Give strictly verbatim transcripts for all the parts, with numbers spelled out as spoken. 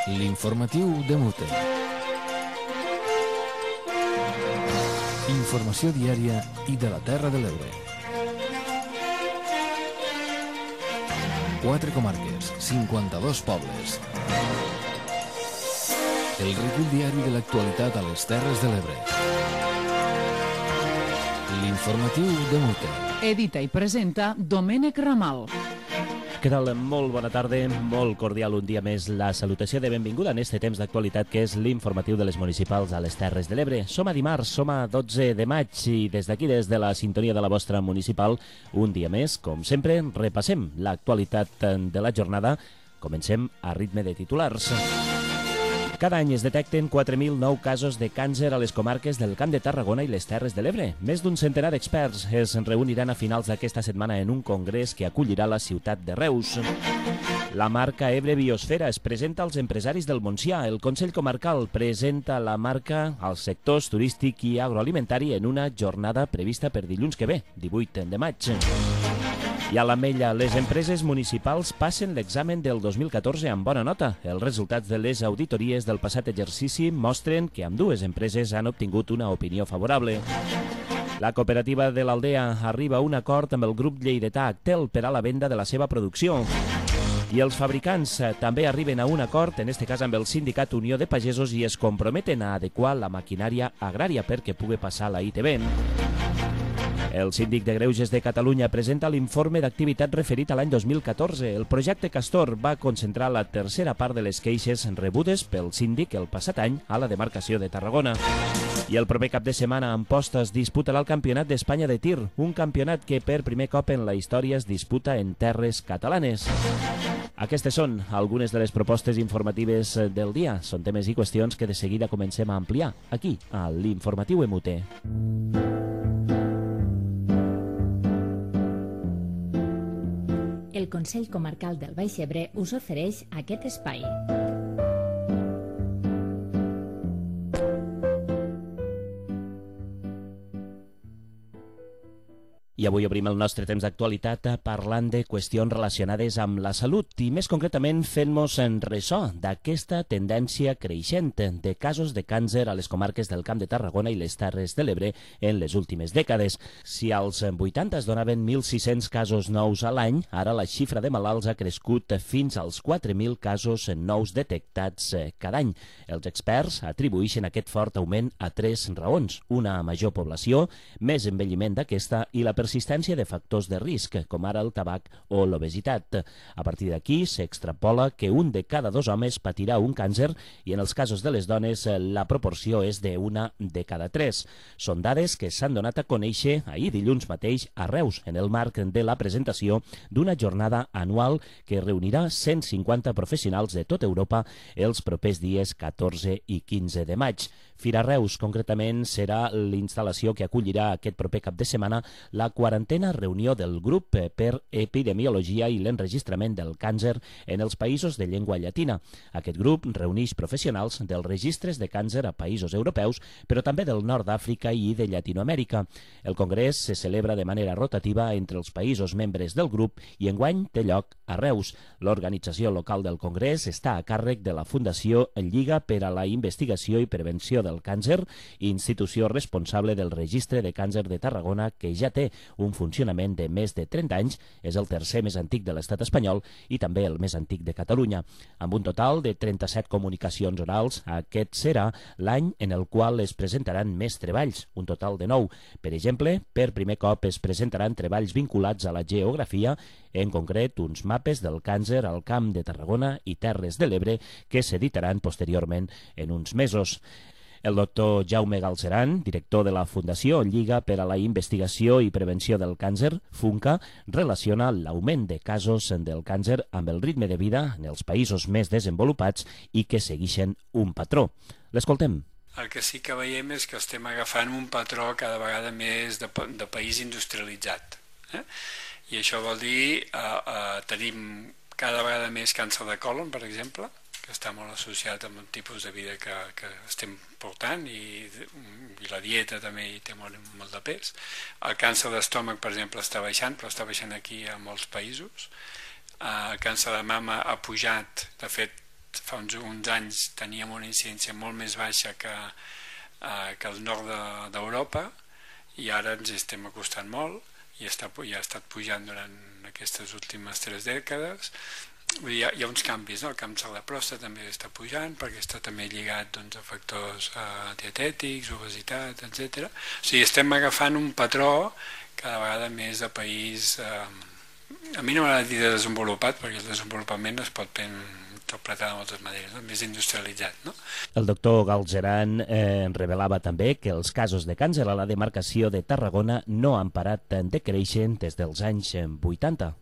L'informatiu de Mute. Informació diària i de la Terra de l'Ebre. Quatre comarques, cinquanta-dos pobles. El recull diari de l'actualitat a les Terres de l'Ebre. L'informatiu de Mute. Edita i presenta Domènec Ramal. Què tal? Molt bona tarda, molt cordial un dia més la salutació de benvinguda en este temps d'actualitat que és l'informatiu de les municipals a les Terres de l'Ebre. Som a dimarts, som a dotze de maig i des d'aquí, des de la sintonia de la vostra municipal, un dia més, com sempre, repassem l'actualitat de la jornada. Comencem a ritme de titulars. Cada any es detecten quatre mil nou casos de càncer a les comarques del Camp de Tarragona i les Terres de l'Ebre. Més d'un centenar d'experts es reuniran a finals d'aquesta setmana en un congrés que acollirà la ciutat de Reus. La marca Ebre Biosfera es presenta als empresaris del Montsià. El Consell Comarcal presenta la marca als sectors turístic i agroalimentari en una jornada prevista per dilluns que ve, divuit de maig. I a l'Ametlla, les empreses municipals passen l'examen del dos mil catorze amb bona nota. Els resultats de les auditories del passat exercici mostren que ambdues empreses han obtingut una opinió favorable. La cooperativa de l'Aldea arriba a un acord amb el grup lleidatà Actel per a la venda de la seva producció. I els fabricants també arriben a un acord, en este cas amb el sindicat Unió de Pagesos, i es comprometen a adequar la maquinària agrària perquè pugui passar la I T B. El síndic de Greuges de Catalunya presenta l'informe d'activitat referit a l'any dos mil catorze. El projecte Castor va concentrar la tercera part de les queixes rebudes pel síndic el passat any a la demarcació de Tarragona. I el proper cap de setmana Amposta es disputarà el Campionat d'Espanya de tir, un campionat que per primer cop en la història es disputa en terres catalanes. Aquestes són algunes de les propostes informatives del dia. Són temes i qüestions que de seguida comencem a ampliar aquí, a l'Informatiu M U T. El Consell Comarcal del Baix Ebre us ofereix aquest espai. I avui obrim el nostre temps d'actualitat parlant de qüestions relacionades amb la salut i més concretament fent-nos en ressò d'aquesta tendència creixent de casos de càncer a les comarques del Camp de Tarragona i les Terres de l'Ebre en les últimes dècades. Si als vuitanta es donaven mil sis-cents casos nous a l'any, ara la xifra de malalts ha crescut fins als quatre mil casos nous detectats cada any. Els experts atribueixen aquest fort augment a tres raons: una major població, més envelliment d'aquesta i la persistència de factors de risc, com ara el tabac o l'obesitat. A partir d'aquí s'extrapola que un de cada dos homes patirà un càncer i en els casos de les dones la proporció és d'una de cada tres. Són dades que s'han donat a conèixer ahir dilluns mateix a Reus, en el marc de la presentació d'una jornada anual que reunirà cent cinquanta professionals de tota Europa els propers dies catorze i quinze de maig. Fira Reus, concretament, serà l'instal·lació que acollirà aquest proper cap de setmana la quarantena reunió del grup per epidemiologia i l'enregistrament del càncer en els països de llengua llatina. Aquest grup reuneix professionals dels registres de càncer a països europeus, però també del nord d'Àfrica i de Llatinoamèrica. El congrés se celebra de manera rotativa entre els països membres del grup i enguany té lloc a Reus. L'organització local del congrés està a càrrec de la Fundació Lliga per a la Investigació i Prevenció del Càncer, institució responsable del Registre de Càncer de Tarragona, que ja té un funcionament de més de trenta anys, és el tercer més antic de l'estat espanyol i també el més antic de Catalunya. Amb un total de trenta-set comunicacions orals, aquest serà l'any en el qual es presentaran més treballs, un total de nou. Per exemple, per primer cop es presentaran treballs vinculats a la geografia, en concret uns mapes del càncer al Camp de Tarragona i Terres de l'Ebre que s'editaran posteriorment en uns mesos. El doctor Jaume Galceran, director de la Fundació Lliga per a la Investigació i Prevenció del Càncer, FUNCA, relaciona l'augment de casos del càncer amb el ritme de vida en els països més desenvolupats i que segueixen un patró. L'escoltem. El que sí que veiem és que estem agafant un patró cada vegada més de, de país industrialitzat. Eh? I això vol dir eh, eh, tenim cada vegada més càncer de còlon, per exemple, que està molt associat amb un tipus de vida que, que estem portant i, i la dieta també hi té molt, molt de pes. El càncer d'estómac, per exemple, està baixant, però està baixant aquí a molts països. El càncer de mama ha pujat, de fet, fa uns, uns anys teníem una incidència molt més baixa que, eh, que el nord d'Europa, i ara ens estem acostant molt, i està, i ha estat pujant durant aquestes últimes tres dècades. Hi ha, hi ha uns canvis, no? El càncer de pròstata també està pujant, perquè està també lligat, doncs, a factors eh, dietètics, obesitat, etcètera. O sigui, estem agafant un patró cada vegada més de país, eh, a mi no m'agrada dir de desenvolupat, perquè el desenvolupament es pot interpretar de moltes maneres, no? Més industrialitzat, no? El doctor Galzeran eh, revelava també que els casos de càncer a la demarcació de Tarragona no han parat de créixer des dels anys vuitanta.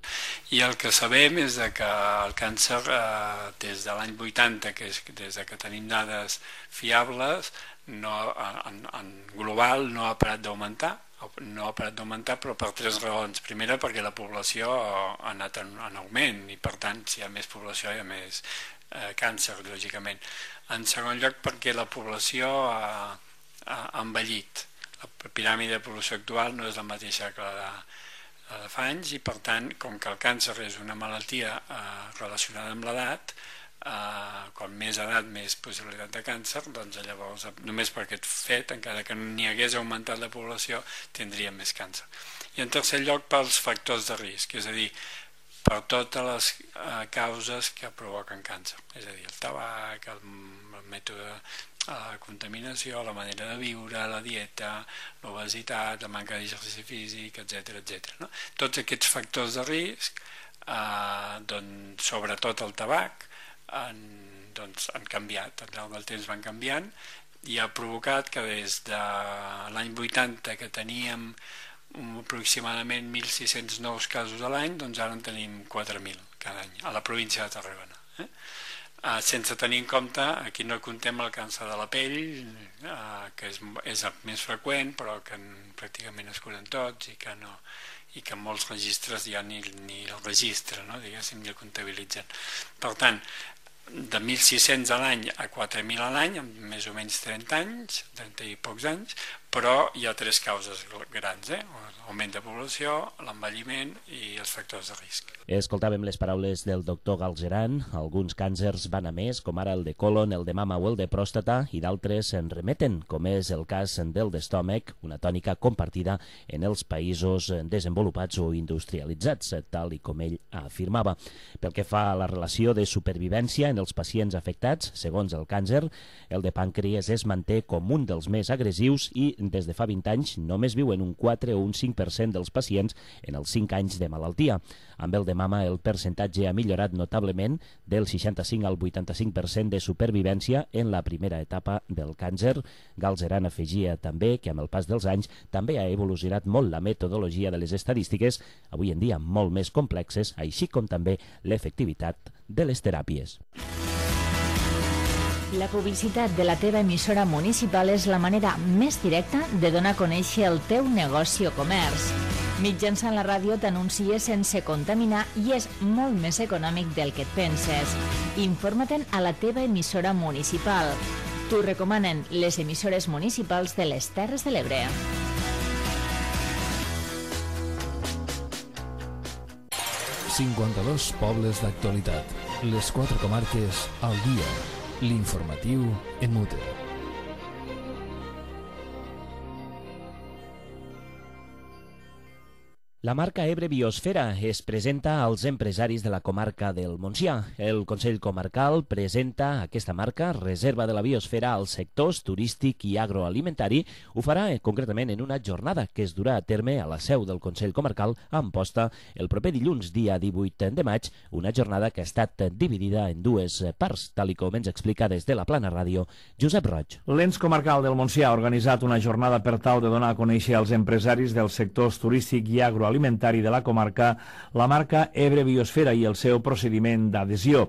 I el que sabem és que el càncer, eh, des de l'any vuitanta, que és des de que tenim dades fiables, no, en, en global no ha parat d'augmentar, no ha parat d'augmentar, però per tres raons. Primera, perquè la població ha anat en, en augment, i per tant, si hi ha més població hi ha més eh, càncer, lògicament. En segon lloc, perquè la població ha, ha envellit. La piràmide de població actual no és la mateixa que la de, la de fa anys, i per tant, com que el càncer és una malaltia eh, relacionada amb l'edat, Uh, quan més edat, més possibilitat de càncer, doncs llavors, només per aquest fet, encara que n'hi hagués augmentat la població, tindríem més càncer. I en tercer lloc, pels factors de risc, és a dir, per totes les uh, causes que provoquen càncer, és a dir, el tabac, el, el mètode, la contaminació, la manera de viure, la dieta, l'obesitat, la manca d'exercici físic, etcètera, etcètera, no? Tots aquests factors de risc, uh, doncs, sobretot el tabac, Han, doncs, han canviat, al llarg del temps van canviant, i ha provocat que des de l'any vuitanta, que teníem aproximadament mil sis-cents nous casos a l'any, doncs ara en tenim quatre mil cada any a la província de Tarragona. Eh? Uh, sense tenir en compte, aquí no contem el càncer de la pell, uh, que és, és el més freqüent, però que en, pràcticament es curen tots, i que no, i que en molts registres ja ni, ni el registre, no? Diguéssim, ni el comptabilitzen. Per tant, de mil sis-cents a l'any a quatre mil a l'any, amb més o menys trenta anys, trenta i pocs anys, però hi ha tres causes grans, eh? L'augment de població, l'envelliment i els factors de risc. Escoltàvem les paraules del doctor Galzeran. Alguns càncers van a més, com ara el de colon, el de mama o el de pròstata, i d'altres en remeten, com és el cas del d'estómac, una tònica compartida en els països desenvolupats o industrialitzats, tal i com ell afirmava. Pel que fa a la relació de supervivència en els pacients afectats, segons el càncer, el de pàncreas es manté com un dels més agressius, i des de fa vint anys només viuen un quatre o un cinc per cent dels pacients en els cinc anys de malaltia. Amb el de mama el percentatge ha millorat notablement, del seixanta-cinc al vuitanta-cinc per cent de supervivència en la primera etapa del càncer. Galzeran afegia també que amb el pas dels anys també ha evolucionat molt la metodologia de les estadístiques, avui en dia molt més complexes, així com també l'efectivitat de les teràpies. La publicitat de la teva emissora municipal és la manera més directa de donar a conèixer el teu negoci o comerç. Mitjançant la ràdio t'anuncies sense contaminar i és molt més econòmic del que et penses. Informa-te'n a la teva emissora municipal. T'ho recomanen les emissores municipals de les Terres de l'Ebre. cinquanta-dos pobles d'actualitat. Les quatre comarques al dia. L'informatiu en mute. La marca Ebre Biosfera es presenta als empresaris de la comarca del Montsià. El Consell Comarcal presenta aquesta marca, Reserva de la Biosfera, als sectors turístic i agroalimentari. Ho farà eh, concretament en una jornada que es durà a terme a la seu del Consell Comarcal a Amposta el proper dilluns, dia divuit de maig, una jornada que ha estat dividida en dues parts, tal i com ens explica des de la Plana Ràdio Josep Roig. L'ens comarcal del Montsià ha organitzat una jornada per tal de donar a conèixer als empresaris dels sectors turístic i agroalimentari alimentari de la comarca la marca Ebre Biosfera i el seu procediment d'adhesió.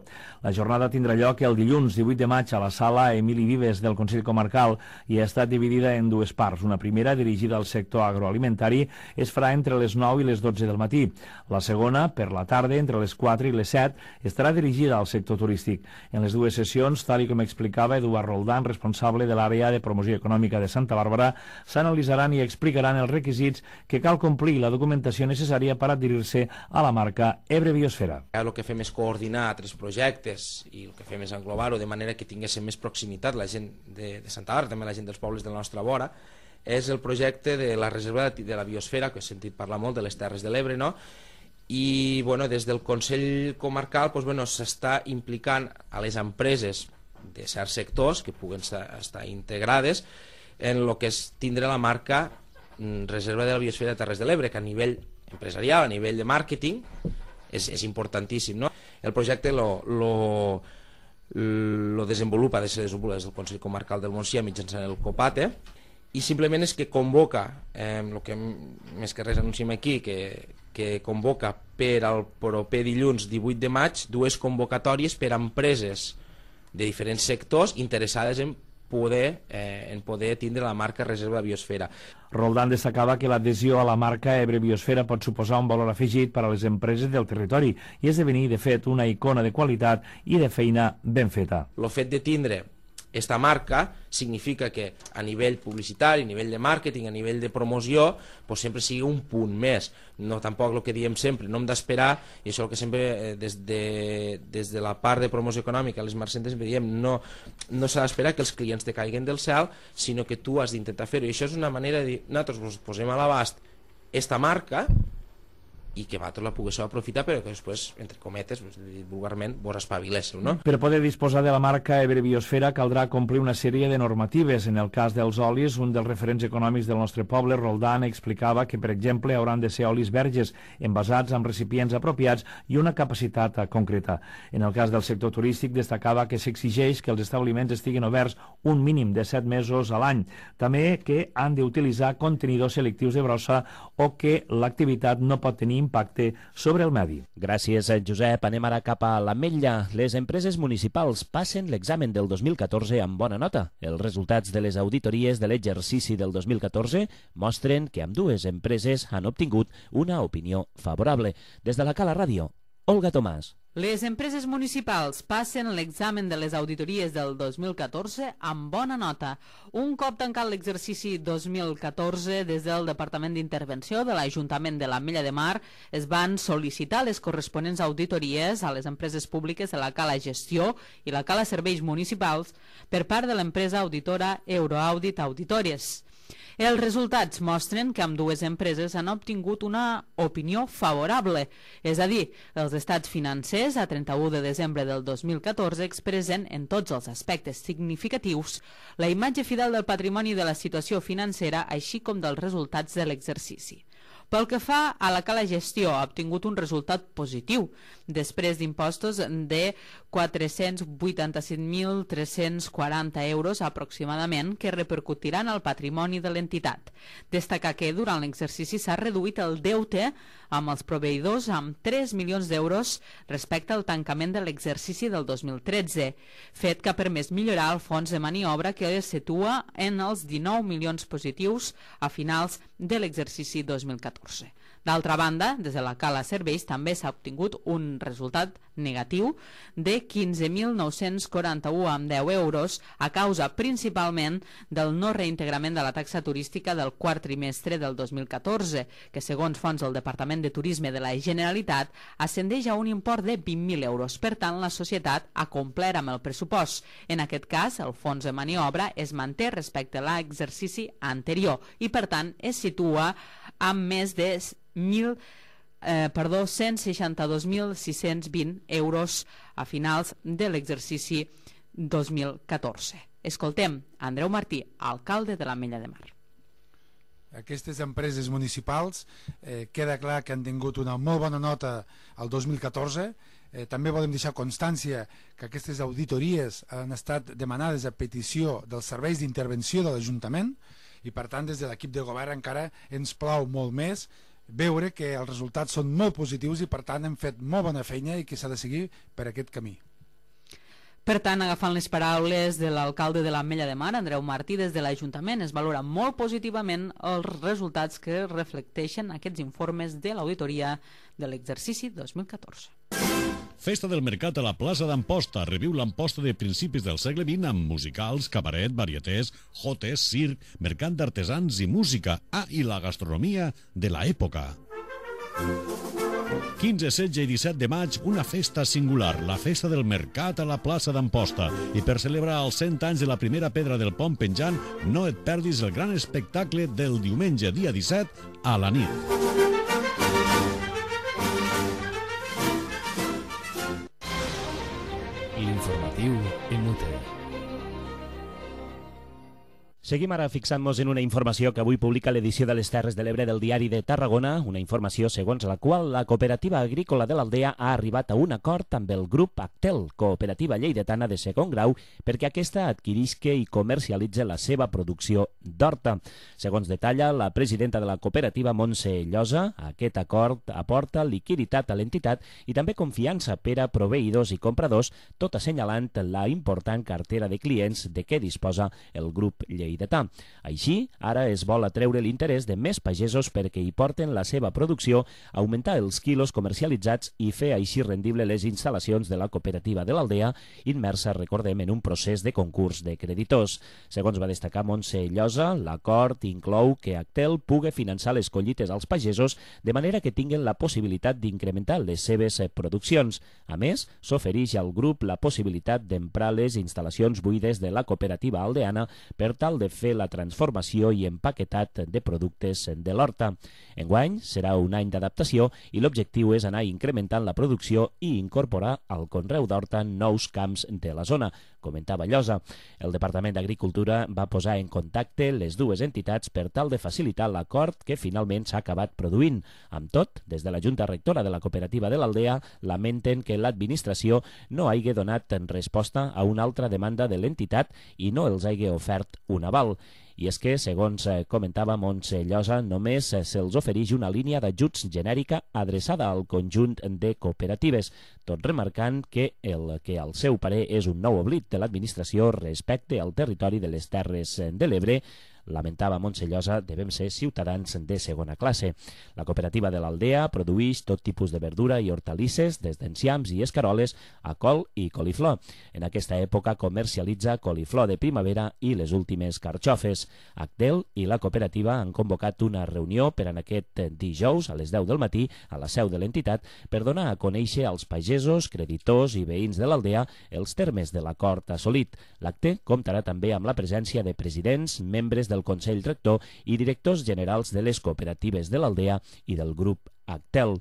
La jornada tindrà lloc el dilluns divuit de maig a la sala Emili Vives del Consell Comarcal i ha estat dividida en dues parts. Una primera, dirigida al sector agroalimentari, es farà entre les nou i les dotze del matí. La segona, per la tarda, entre les quatre i les set, estarà dirigida al sector turístic. En les dues sessions, tal com explicava Eduard Roldán, responsable de l'àrea de promoció econòmica de Santa Bàrbara, s'analitzaran i explicaran els requisits que cal complir, la documentació documentació necessària per adherir-se a la marca Ebre Biosfera. El que fem és coordinar tres projectes i el que fem és englobar-ho de manera que tinguéssim més proximitat la gent de, de Santa Bàrbara, també la gent dels pobles de la nostra vora. És el projecte de la reserva de la biosfera, que he sentit parlar molt de les Terres de l'Ebre, no? I bueno, des del Consell Comarcal doncs, bueno, s'està implicant a les empreses de certs sectors que puguen estar integrades en el que és tindre la marca Reserva de la Biosfera de Terres de l'Ebre, que a nivell empresarial, a nivell de màrqueting, és, és importantíssim, no? El projecte lo, lo, lo desenvolupa, de ser desenvolupat des del Consell Comarcal del Montsià mitjançant el COPATE, i simplement és que convoca, eh, el que més que res anunciem aquí, que, que convoca per al proper dilluns divuit de maig dues convocatòries per a empreses de diferents sectors interessades en poder, eh, en poder tindre la marca Reserva de Biosfera. Roldán destacava que l'adhesió a la marca Ebre Biosfera pot suposar un valor afegit per a les empreses del territori i esdevenir, de fet, una icona de qualitat i de feina ben feta. El fet de tindre esta marca significa que a nivell publicitari, a nivell de màrqueting, a nivell de promoció, pues sempre sigui un punt més. No tampoc el que diem sempre, no hem d'esperar, i això el que sempre eh, des, de, des de la part de promoció econòmica, les marcentes sempre diem, no, no s'ha d'esperar que els clients te caiguen del cel, sinó que tu has d'intentar fer-ho. I això és una manera de dir, nosaltres posem a l'abast esta marca i que vosaltres la poguéssiu aprofitar, però que després, entre cometes, vulgarment, vos espaviléssiu, no? Per poder disposar de la marca Ebre Biosfera caldrà complir una sèrie de normatives. En el cas dels olis, un dels referents econòmics del nostre poble, Roldán, explicava que, per exemple, hauran de ser olis verges, envasats amb recipients apropiats i una capacitat concreta. En el cas del sector turístic, destacava que s'exigeix que els establiments estiguin oberts un mínim de set mesos a l'any. També que han d'utilitzar contenidors selectius de brossa o que l'activitat no pot tenir impacte sobre el medi. Gràcies, Josep. Anem ara cap a l'Ametlla. Les empreses municipals passen l'examen del dos mil catorze amb bona nota. Els resultats de les auditories de l'exercici del dos mil catorze mostren que ambdues empreses han obtingut una opinió favorable. Des de la Cala Ràdio, Olga Tomàs. Les empreses municipals passen l'examen de les auditories del dos mil catorze amb bona nota. Un cop tancat l'exercici dos mil catorze, des del Departament d'Intervenció de l'Ajuntament de l'Ametlla de Mar es van sol·licitar les corresponents auditories a les empreses públiques de la Cala Gestió i la Cala Serveis Municipals per part de l'empresa auditora Euroaudit Auditores. Els resultats mostren que ambdues empreses han obtingut una opinió favorable, és a dir, els estats financers a trenta-u de desembre del dos mil catorze expressen en tots els aspectes significatius la imatge fidel del patrimoni de la situació financera, així com dels resultats de l'exercici. Pel que fa a la Cala Gestió, ha obtingut un resultat positiu, després d'impostos de quatre-cents vuitanta-set mil tres-cents quaranta euros aproximadament que repercutiran al patrimoni de l'entitat. Destacar que durant l'exercici s'ha reduït el deute amb els proveïdors amb tres milions d'euros respecte al tancament de l'exercici del dos mil tretze, fet que ha permès millorar el fons de maniobra que es situa en els dinou milions positius a finals de l'exercici dos mil catorze. D'altra banda, des de la Cala Serveis també s'ha obtingut un resultat negatiu de quinze mil nou-cents quaranta-u amb deu euros a causa principalment del no reintegrament de la taxa turística del quart trimestre del dos mil catorze, que segons fons del Departament de Turisme de la Generalitat ascendeix a un import de vint mil euros. Per tant, la societat ha complert amb el pressupost. En aquest cas, el fons de maniobra es manté respecte a l'exercici anterior i, per tant, es situa amb més de mil, eh, perdó, cent seixanta-dos mil sis-cents vint euros a finals de l'exercici dos mil catorze. Escoltem Andreu Martí, alcalde de l'Ametlla de Mar. Aquestes empreses municipals eh, queda clar que han tingut una molt bona nota el dos mil catorze. Eh, també volem deixar constància que aquestes auditories han estat demanades a petició dels serveis d'intervenció de l'Ajuntament i, per tant, des de l'equip de govern encara ens plau molt més veure que els resultats són molt positius i, per tant, hem fet molt bona feina i que s'ha de seguir per aquest camí. Per tant, agafant les paraules de l'alcalde de l'Ametlla de Mar, Andreu Martí, des de l'Ajuntament es valora molt positivament els resultats que reflecteixen aquests informes de l'auditoria de l'exercici dos mil catorze. Festa del Mercat a la plaça d'Amposta. Reviu l'Amposta de principis del segle vint amb musicals, cabaret, varietés, jotes, circ, mercat d'artesans i música. Ah, i la gastronomia de l'època. quinze, setze i disset de maig, una festa singular, la Festa del Mercat a la plaça d'Amposta. I per celebrar els cent anys de la primera pedra del pont penjant, no et perdis el gran espectacle del diumenge, dia disset, a la nit. L'informatiu en U T E. Seguim ara fixant-nos en una informació que avui publica l'edició de les Terres de l'Ebre del Diari de Tarragona, una informació segons la qual la Cooperativa Agrícola de l'Aldea ha arribat a un acord amb el grup Actel, cooperativa lleidatana de segon grau, perquè aquesta adquirisca i comercialitza la seva producció d'horta. Segons detalla la presidenta de la cooperativa, Montse Llosa, aquest acord aporta liquiditat a l'entitat i també confiança per a proveïdors i compradors, tot assenyalant la important cartera de clients de què disposa el grup lleidatà. Així, ara es vol atreure l'interès de més pagesos perquè hi porten la seva producció, augmentar els quilos comercialitzats i fer així rendible les instal·lacions de la cooperativa de l'Aldea, immersa, recordem, en un procés de concurs de creditors. Segons va destacar Montse Llosa, l'acord inclou que Actel pugui finançar les collites als pagesos de manera que tinguin la possibilitat d'incrementar les seves produccions. A més, s'ofereix al grup la possibilitat d'emprar les instal·lacions buides de la cooperativa aldeana per tal de fer la transformació i empaquetat de productes de l'horta. Enguany serà un any d'adaptació i l'objectiu és anar incrementant la producció i incorporar al conreu d'horta nous camps de la zona, comentava Llosa. El Departament d'Agricultura va posar en contacte les dues entitats per tal de facilitar l'acord que finalment s'ha acabat produint. Amb tot, des de la Junta Rectora de la Cooperativa de l'Aldea lamenten que l'administració no hagi donat resposta a una altra demanda de l'entitat i no els hagi ofert un aval. I és que, segons comentava Montse Llosa, només se'ls ofereix una línia d'ajuts genèrica adreçada al conjunt de cooperatives, tot remarcant que el que al seu parer és un nou oblit de l'administració respecte al territori de les Terres de l'Ebre. Lamentava Montse Llosa, devem ser ciutadans de segona classe. La cooperativa de l'Aldea produeix tot tipus de verdura i hortalisses, des d'enciams i escaroles a col i coliflor. En aquesta època comercialitza coliflor de primavera i les últimes carxofes. Actel i la cooperativa han convocat una reunió per en aquest dijous a les deu del matí a la seu de l'entitat per donar a conèixer als pagesos, creditors i veïns de l'Aldea els termes de l'acord assolit. L'acte comptarà també amb la presència de presidents, membres del Consell Rector i directors generals de les cooperatives de l'Aldea i del grup Actel.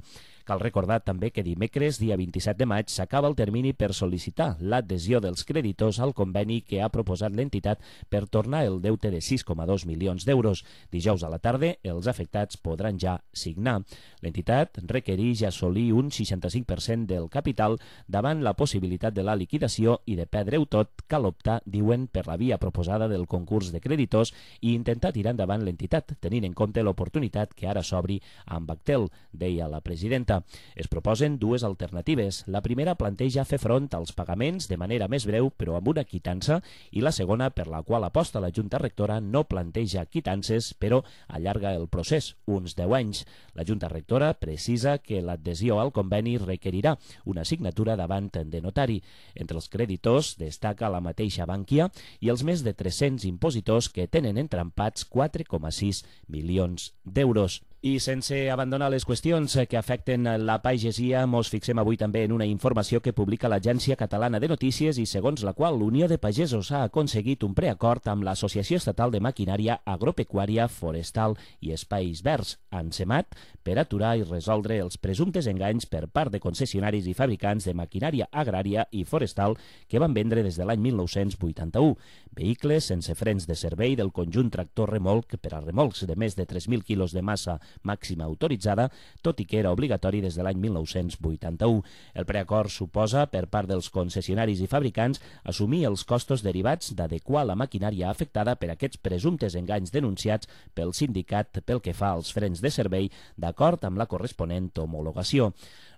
Cal recordar també que dimecres, dia vint-i-set de maig, s'acaba el termini per sol·licitar l'adhesió dels creditors al conveni que ha proposat l'entitat per tornar el deute de sis coma dos milions d'euros. Dijous a la tarda, els afectats podran ja signar. L'entitat requereix assolir un seixanta-cinc per cent del capital davant la possibilitat de la liquidació i de perdre-ho tot. Cal optar, diuen, per la via proposada del concurs de creditors i intentar tirar endavant l'entitat, tenint en compte l'oportunitat que ara s'obri amb Actel, deia la presidenta. Es proposen dues alternatives. La primera planteja fer front als pagaments de manera més breu però amb una quitança, i la segona, per la qual aposta la Junta Rectora, no planteja quitances però allarga el procés uns deu anys. La Junta Rectora precisa que l'adhesió al conveni requerirà una signatura davant de notari. Entre els creditors destaca la mateixa Bankia i els més de tres-cents impositors que tenen entrampats quatre coma sis milions d'euros. I sense abandonar les qüestions que afecten la pagesia, mos fixem avui també en una informació que publica l'Agència Catalana de Notícies i segons la qual l'Unió de Pagesos ha aconseguit un preacord amb l'Associació Estatal de Maquinària Agropecuària, Forestal i Espais Verds, ANSEMAT, per aturar i resoldre els presumptes enganys per part de concessionaris i fabricants de maquinària agrària i forestal que van vendre des de l'any mil nou-cents vuitanta-u. Vehicles sense frens de servei del conjunt tractor-remolc per a remolcs de més de tres mil quilos de massa màxima autoritzada, tot i que era obligatori des de l'any mil nou-cents vuitanta-u. El preacord suposa, per part dels concessionaris i fabricants, assumir els costos derivats d'adequar la maquinària afectada per aquests presumptes enganys denunciats pel sindicat pel que fa als frens de servei, d'acord amb la corresponent homologació.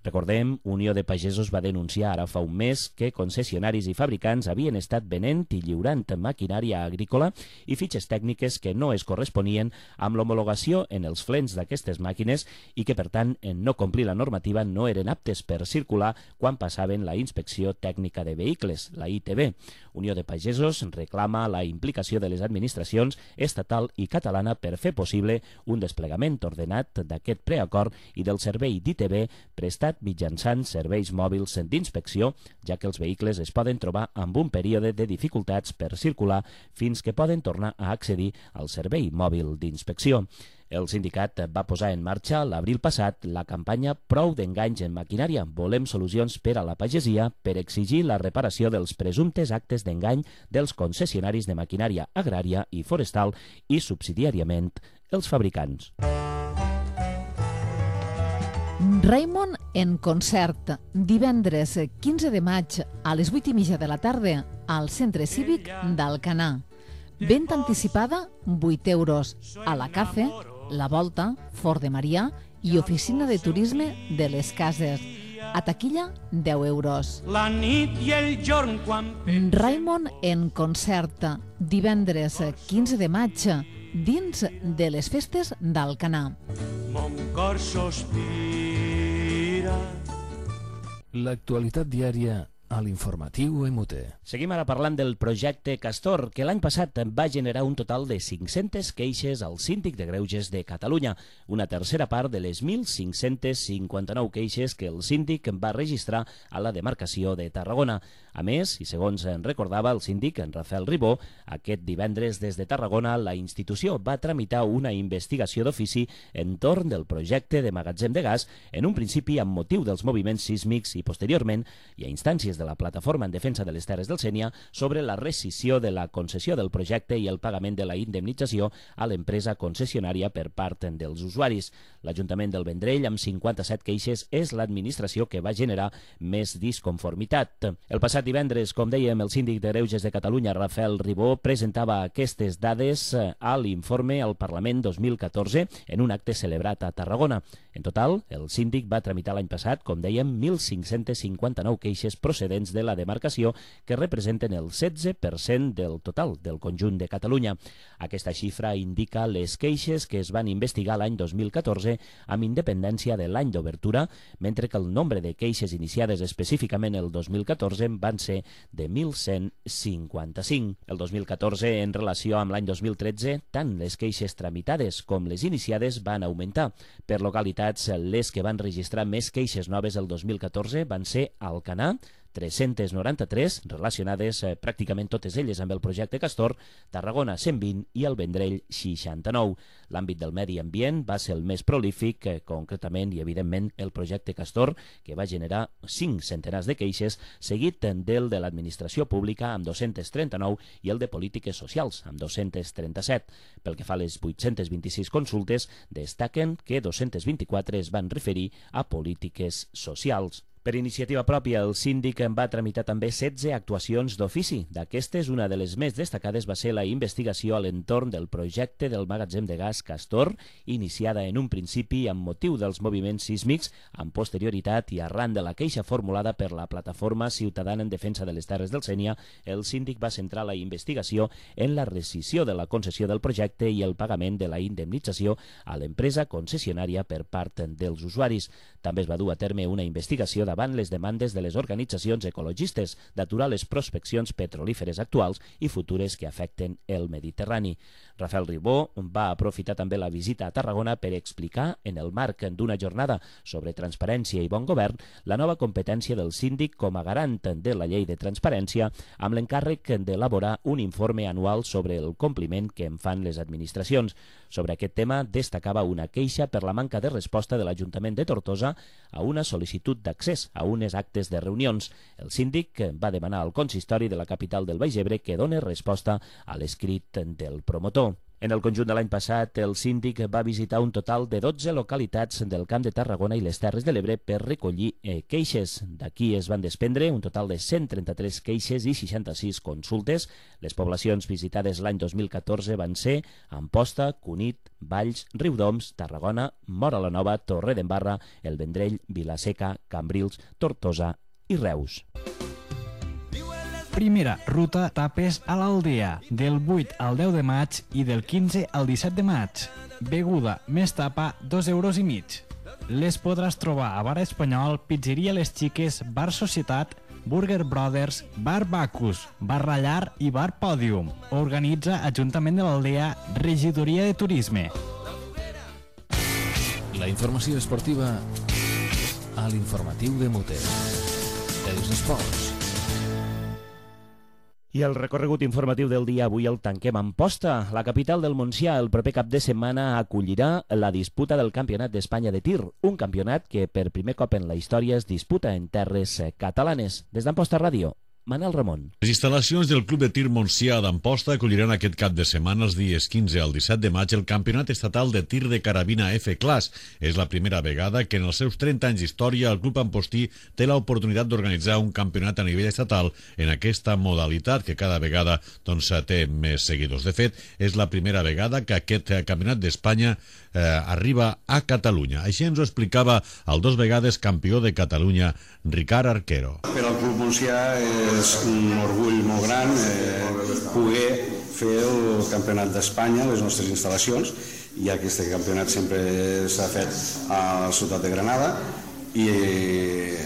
Recordem, Unió de Pagesos va denunciar ara fa un mes que concessionaris i fabricants havien estat venent i lliurant maquinària agrícola i fitxes tècniques que no es corresponien amb l'homologació en els frens d'aquestes màquines i que, per tant, en no complir la normativa no eren aptes per circular quan passaven la Inspecció Tècnica de Vehicles, la I T V. Unió de Pagesos reclama la implicació de les administracions estatal i catalana per fer possible un desplegament ordenat d'aquest preacord i del servei d'I T V prestat mitjançant serveis mòbils d'inspecció, ja que els vehicles es poden trobar amb un període de dificultats per circular fins que poden tornar a accedir al servei mòbil d'inspecció. El sindicat va posar en marxa l'abril passat la campanya Prou d'enganys en maquinària. Volem solucions per a la pagesia per exigir la reparació dels presumptes actes d'engany dels concessionaris de maquinària agrària i forestal i, subsidiàriament, els fabricants. Raimon en concert, divendres quinze de maig a les vuit i mitja de la tarda al Centre Cívic d'Alcanar. Venda anticipada, vuit euros. A la Cafe, La Volta, Fort de Marià i Oficina de Turisme de les Cases. A taquilla, deu euros. La nit i el jorn quan... Raimon en concert, divendres quinze de maig, dins de les festes d'Alcanar. Mon cor sospira. L'actualitat diària a l'informatiu M U T. Seguim ara parlant del projecte Castor, que l'any passat va generar un total de cinc-centes queixes al Síndic de Greuges de Catalunya, una tercera part de les mil cinc-cents cinquanta-nou queixes que el síndic va registrar a la demarcació de Tarragona. A més, i segons en recordava el síndic, en Rafael Ribó, aquest divendres des de Tarragona la institució va tramitar una investigació d'ofici entorn del projecte de magatzem de gas, en un principi amb motiu dels moviments sísmics i posteriorment, i a instàncies de la Plataforma en Defensa de les Terres del Sénia, sobre la rescissió de la concessió del projecte i el pagament de la indemnització a l'empresa concessionària per part dels usuaris. L'Ajuntament del Vendrell, amb cinquanta-set queixes, és l'administració que va generar més disconformitat. El passat divendres, com dèiem, el síndic de Greuges de Catalunya, Rafael Ribó, presentava aquestes dades a l'informe al Parlament dos mil catorze en un acte celebrat a Tarragona. En total, el síndic va tramitar l'any passat, com dèiem, mil cinc-cents cinquanta-nou queixes procedents de la demarcació, que representen el setze per cent del total del conjunt de Catalunya. Aquesta xifra indica les queixes que es van investigar l'any dos mil catorze amb independència de l'any d'obertura, mentre que el nombre de queixes iniciades específicament el dos mil catorze van ser de mil cent cinquanta-cinc. El dos mil catorze, en relació amb l'any dos mil tretze, tant les queixes tramitades com les iniciades van augmentar. Per localitats, les que van registrar més queixes noves el dos mil catorze van ser Alcanar, tres-centes noranta-tres, relacionades eh, pràcticament totes elles amb el projecte Castor, Tarragona cent vint i el Vendrell seixanta-nou. L'àmbit del medi ambient va ser el més prolífic, eh, concretament i evidentment el projecte Castor, que va generar cinc centenars de queixes, seguit del de l'administració pública amb dos-centes trenta-nou i el de polítiques socials amb dos-centes trenta-set. Pel que fa a les vuit-centes vint-i-sis consultes, destaquen que dos-centes vint-i-quatre es van referir a polítiques socials. Per iniciativa pròpia, el síndic en va tramitar també setze actuacions d'ofici. D'aquestes, una de les més destacades va ser la investigació a l'entorn del projecte del magatzem de gas Castor, iniciada en un principi amb motiu dels moviments sísmics, amb posterioritat i arran de la queixa formulada per la Plataforma Ciutadana en Defensa de les Terres del Sénia, el síndic va centrar la investigació en la rescissió de la concessió del projecte i el pagament de la indemnització a l'empresa concessionària per part dels usuaris. També es va dur a terme una investigació de davant les demandes de les organitzacions ecologistes d'aturar les prospeccions petrolíferes actuals i futures que afecten el Mediterrani. Rafael Ribó va aprofitar també la visita a Tarragona per explicar, en el marc d'una jornada sobre transparència i bon govern, la nova competència del síndic com a garant de la llei de transparència, amb l'encàrrec d'elaborar un informe anual sobre el compliment que en fan les administracions. Sobre aquest tema destacava una queixa per la manca de resposta de l'Ajuntament de Tortosa a una sol·licitud d'accés a unes actes de reunions. El síndic va demanar al consistori de la capital del Baix Ebre que doni resposta a l'escrit del promotor. En el conjunt de l'any passat, el síndic va visitar un total de dotze localitats del Camp de Tarragona i les Terres de l'Ebre per recollir eh, queixes. D'aquí es van desprendre un total de cent trenta-tres queixes i seixanta-sis consultes. Les poblacions visitades l'any dos mil catorze van ser Amposta, Cunit, Valls, Riudoms, Tarragona, Móra la Nova, Torredembarra, El Vendrell, Vilaseca, Cambrils, Tortosa i Reus. Primera ruta tapes a l'Aldea, del vuit al deu de maig i del quinze al disset de maig. Beguda més tapa, dos euros i mig. Les podràs trobar a Bar Espanyol, Pizzeria Les Xiques, Bar Societat, Burger Brothers, Bar Bacus, Bar Rallar i Bar Pòdium. Organitza Ajuntament de l'Aldea, Regidoria de Turisme. La informació esportiva a l'informatiu de Muter. Els esports. I el recorregut informatiu del dia avui el tanquem a Amposta. La capital del Montsià el proper cap de setmana acollirà la disputa del Campionat d'Espanya de tir, un campionat que per primer cop en la història es disputa en terres catalanes. Des d'Amposta Ràdio, Manel Ramon. Les instal·lacions del Club de Tir Montsià d'Amposta acolliran aquest cap de setmana, els dies quinze al disset de maig, el Campionat Estatal de Tir de Carabina F-Class. És la primera vegada que en els seus trenta anys d'història el Club Ampostí té l'oportunitat d'organitzar un campionat a nivell estatal en aquesta modalitat, que cada vegada doncs, té més seguidors. De fet, és la primera vegada que aquest Campionat d'Espanya eh, arriba a Catalunya. Així ens ho explicava el dos vegades campió de Catalunya, Ricard Arquero. Per al Club Montsià és un orgull molt gran eh, poder fer el Campionat d'Espanya a les nostres instal·lacions, ja que aquest campionat sempre s'ha fet a la ciutat de Granada i eh,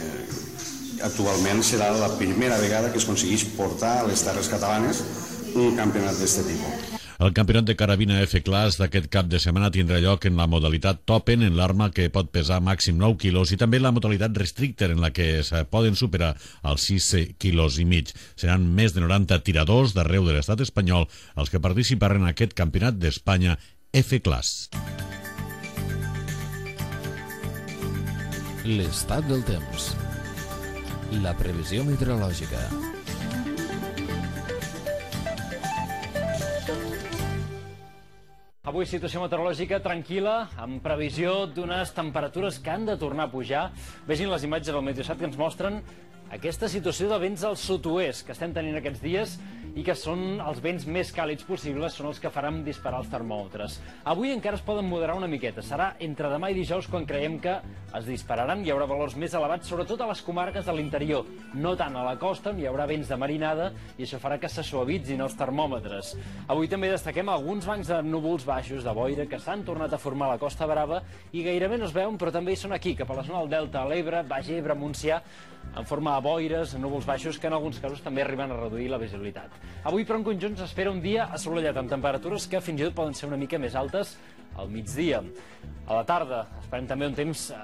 actualment serà la primera vegada que es aconsegueix portar a les terres catalanes un campionat d'aquest tipus. El campionat de carabina F-Class d'aquest cap de setmana tindrà lloc en la modalitat Topen, en l'arma que pot pesar màxim nou quilos, i també la modalitat Restrictor, en la que es poden superar els sis quilos i mig. Seran més de noranta tiradors d'arreu de l'estat espanyol els que participaran en aquest campionat d'Espanya F-Class. L'estat del temps. La previsió meteorològica. Avui situació meteorològica tranquil·la, amb previsió d'unes temperatures que han de tornar a pujar. Vegin les imatges del Meteosat que ens mostren aquesta situació de vents al sud-oest que estem tenint aquests dies i que són els vents més càlids possibles, són els que faran disparar els termòmetres. Avui encara es poden moderar una miqueta. Serà entre demà i dijous quan creiem que es dispararan. Hi haurà valors més elevats, sobretot a les comarques de l'interior. No tant a la costa, on hi haurà vents de marinada, i això farà que se suavitzin els termòmetres. Avui també destaquem alguns bancs de núvols baixos de boira que s'han tornat a formar a la Costa Brava i gairebé no es veuen, però també hi són aquí, cap a la zona del Delta, a l'Ebre, Baix Ebre, Montsià, en forma de boires, núvols baixos, que en alguns casos també arriben a reduir la visibilitat. Avui, però, en conjunt s'espera un dia assolellat amb temperatures que fins i tot poden ser una mica més altes al migdia. A la tarda esperem també un temps eh,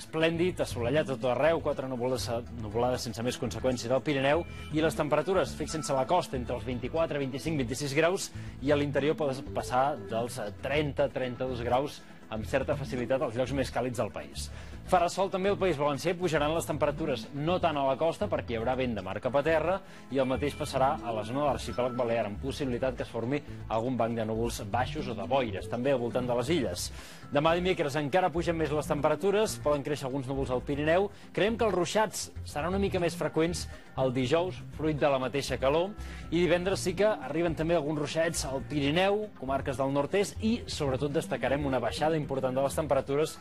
esplèndid, assolellat a tot arreu, quatre nuvolades, nuvolades sense més conseqüències al Pirineu, i les temperatures, fixen-se a la costa, entre els vint-i-quatre, vint-i-cinc, vint-i-sis graus, i a l'interior poden passar dels trenta a trenta-dos graus amb certa facilitat als llocs més càlids del país. Farà sol també al País Valencià i pujaran les temperatures, no tant a la costa perquè hi haurà vent de mar cap a terra, i el mateix passarà a la zona de l'arxipèlag balear, amb possibilitat que es formi algun banc de núvols baixos o de boires, també al voltant de les illes. Demà dimecres encara pugen més les temperatures, poden créixer alguns núvols al Pirineu. Creiem que els ruixats seran una mica més freqüents el dijous, fruit de la mateixa calor, i divendres sí que arriben també alguns ruixats al Pirineu, comarques del nord-est, i sobretot destacarem una baixada important de les temperatures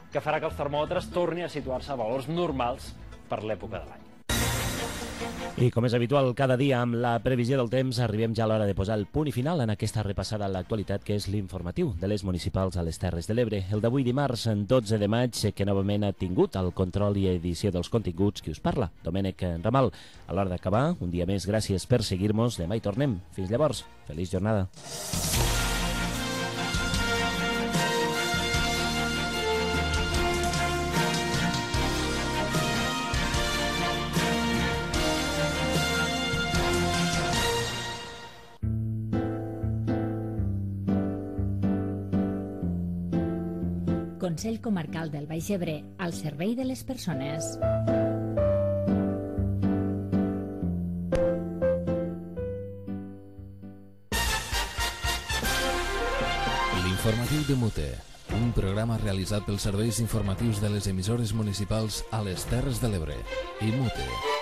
que farà que els termòmetres tornin a situar-se a valors normals per l'època de l'any. I com és habitual cada dia amb la previsió del temps, arribem ja a l'hora de posar el punt i final en aquesta repassada a l'actualitat que és l'informatiu de les municipals a les Terres de l'Ebre. El d'avui dimarts, dotze de maig, que novament ha tingut el control i edició dels continguts qui us parla, Domènec Ramal. A l'hora d'acabar, un dia més, gràcies per seguir-nos. Demà hi tornem. Fins llavors, feliç jornada. Consell Comarcal del Baix Ebre, al servei de les persones. L'informatiu de Mute, un programa realitzat pels serveis informatius de les emissores municipals a les Terres de l'Ebre i Mute.